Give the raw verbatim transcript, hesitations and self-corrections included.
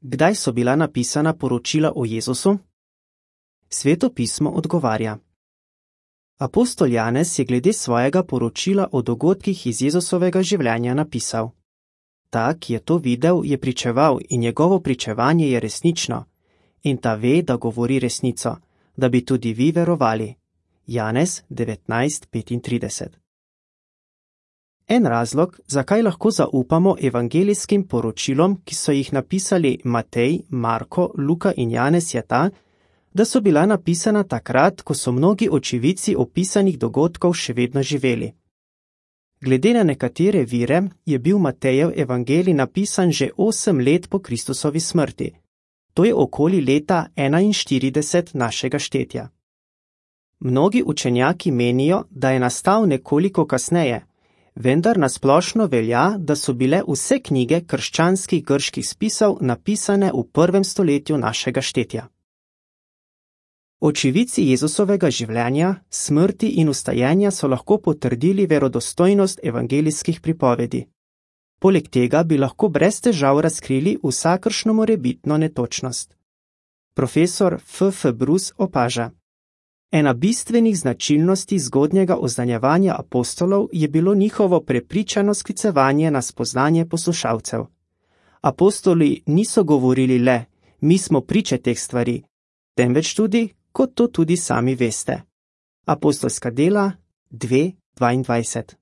Kdaj so bila napisana poročila o Jezusu? Sveto pismo odgovarja. Apostol Janez je glede svojega poročila o dogodkih iz Jezusovega življenja napisal: Ta, ki je to videl, je pričeval in njegovo pričevanje je resnično, in ta ve, da govori resnico, da bi tudi vi verovali. Janez devetnajst petintrideset. En razlog, zakaj lahko zaupamo evangelijskim poročilom, ki so jih napisali Matej, Marko, Luka in Janez, je ta, da so bila napisana takrat, ko so mnogi očividci opisanih dogodkov še vedno živeli. Glede na nekatere vire je bil Matejev evangelij napisan že osem let po Kristusovi smrti. To je okoli leta enainštirideset našega štetja. Mnogi učenjaki menijo, da je nastal nekoliko kasneje, vendar nasplošno velja, da so bile vse knjige krščanskih grških spisov napisane v prvem stoletju našega štetja. Očividci Jezusovega življenja, smrti in vstajenja so lahko potrdili verodostojnost evangelijskih pripovedi. Poleg tega bi lahko brez težav razkrili vsakršno morebitno netočnost. Profesor F F Bruce opaža: Ena bistvenih značilnosti zgodnjega oznanjevanja apostolov je bilo njihovo prepričano sklicevanje na spoznanje poslušalcev. Apostoli niso govorili le, mi smo priče teh stvari, temveč tudi, kot to tudi sami veste. Apostolska dela dve dvaindvajset.